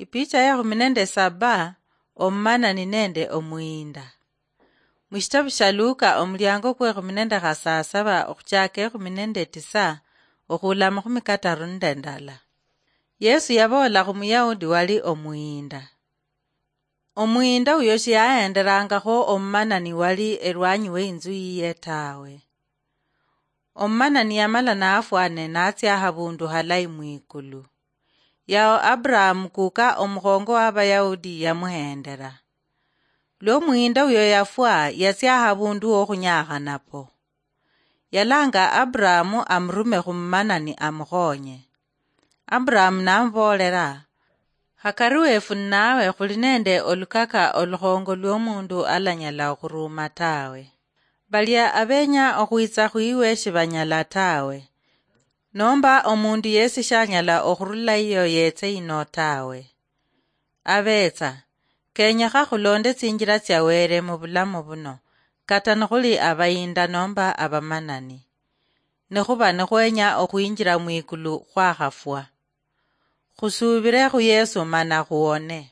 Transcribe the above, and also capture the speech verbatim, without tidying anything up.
Ipicha ya kumi nende saba, omumanani nende omuyinda. Mushitabu sha Luka, omulyango kwe kumi nende khasasaba okhuchaka ekhumi nende tisa okhula mukhumi kataru nende ndala. Yesu yaboola khumuyahudi wali omuyinda. Omuyinda uyo shiyahenderangakho omumanani wali elwanyi weinzu yiye tawe. Omumanani yamala nafwa ne natsia habundu halayi mwikulu. Yao Abrahamu kuka omukhongo wa Abayahudi yamuhendera. Lwo omuyinda uyo yafwa, yatsia habundu wokhunyakha napo. Yalanga Abrahamu amurume khumanani amukhonye. Abrahamu namuboolera, "Hakari wefu ninawe khuli nende olukaka olukhongo lwomundu alanyala okhuruuma tawe. Balia abenya okhwitsa khwiwe shibanyala tawe. Nomba omundu yesi shanyala okhurula iyo yetse yino tawe. Abetsa, kenyekha khulonde tsinjila tsia Wele mubulamu buno, kata nikhuli abayinda nomba abamanani. Nikhuba nikhwenya okhwinjila mwikulu khwakhafwa. Khusubile khu Yesu mana khuwone."